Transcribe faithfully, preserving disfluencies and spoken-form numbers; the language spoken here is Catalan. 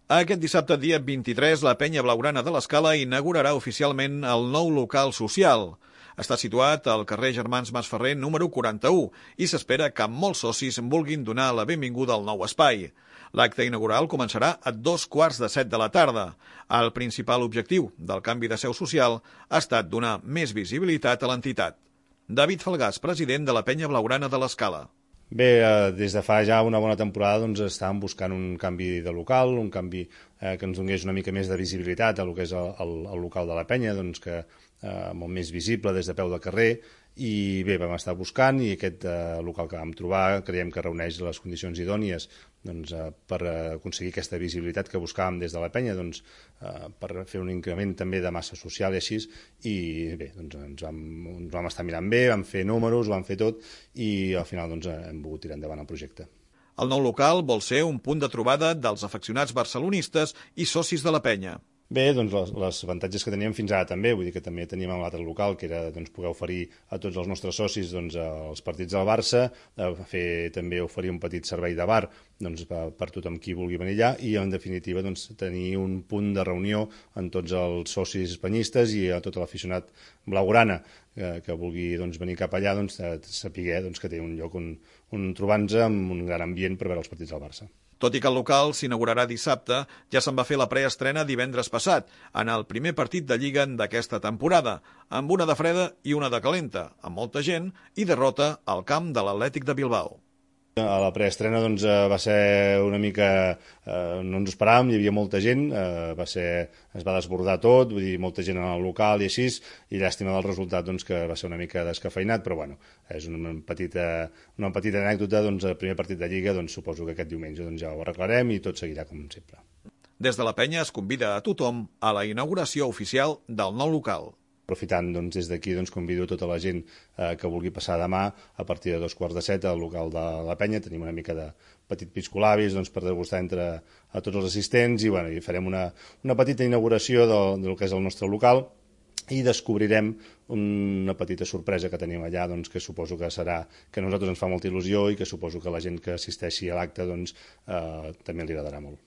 Aquest dissabte, dia vint-i-tres, la Penya Blaugrana de l'Escala inaugurarà oficialment el nou local social. Està situat al carrer Germans Masferrer número quaranta-u i s'espera que molts socis vulguin donar la benvinguda al nou espai. L'acte inaugural començarà a dos quarts de set de la tarda. El principal objectiu del canvi de seu social ha estat donar més visibilitat a l'entitat. David Falgàs, president de la Penya Blaugrana de l'Escala. Bé, eh, des de fa ja una bona temporada doncs, estàvem buscant un canvi de local, un canvi eh, que ens donés una mica més de visibilitat a lo que és el, el, el local de la penya, doncs, que eh, molt més visible des de peu de carrer, i bé, vam estar buscant i aquest eh, local que vam trobar creiem que reuneix les condicions idònies doncs, eh, per aconseguir aquesta visibilitat que buscàvem des de la penya, doncs, eh, per fer un increment també de massa social i així, i bé, doncs, ens, vam, ens vam estar mirant bé, vam fer números, vam fer tot, i al final doncs, hem pogut tirar endavant el projecte. El nou local vol ser un punt de trobada dels afeccionats barcelonistes i socis de la penya. Bé, doncs les, les avantatges que teníem fins ara també, vull dir que també teníem un altre local que era doncs, poder oferir a tots els nostres socis doncs, els partits del Barça, fer també oferir un petit servei de bar doncs, per, per tothom qui vulgui venir allà i en definitiva doncs, tenir un punt de reunió en tots els socis penyistes i a tot l'aficionat blaugrana que, que vulgui doncs, venir cap allà doncs, saber doncs, que té un lloc on, on trobar-nos amb un gran ambient per veure els partits del Barça. Tot i que el local s'inaugurarà dissabte, ja se'n va fer la preestrena divendres passat, en el primer partit de Lliga d'aquesta temporada, amb una de freda i una de calenta, amb molta gent i derrota al camp de l'Atlètic de Bilbao. A la preestrena doncs, va ser una mica... Eh, no ens esperàvem, hi havia molta gent, eh, va ser, es va desbordar tot, vull dir, molta gent en el local i així, i llàstima del resultat doncs, que va ser una mica descafeinat, però bueno, és una petita, una petita anècdota, doncs, el primer partit de Lliga, doncs, suposo que aquest diumenge doncs, ja ho arreglarem i tot seguirà com sempre. Des de la penya es convida a tothom a la inauguració oficial del nou local. Aprofitant doncs, des d'aquí, doncs, convido tota la gent eh, que vulgui passar demà a partir de dos quarts de set al local de la penya. Tenim una mica de petit piscolabis doncs, per degustar entre a tots els assistents i, bueno, i farem una, una petita inauguració del, del que és el nostre local i descobrirem una petita sorpresa que tenim allà doncs, que suposo que serà que a nosaltres ens fa molta il·lusió i que suposo que la gent que assisteixi a l'acte doncs, eh, també li agradarà molt.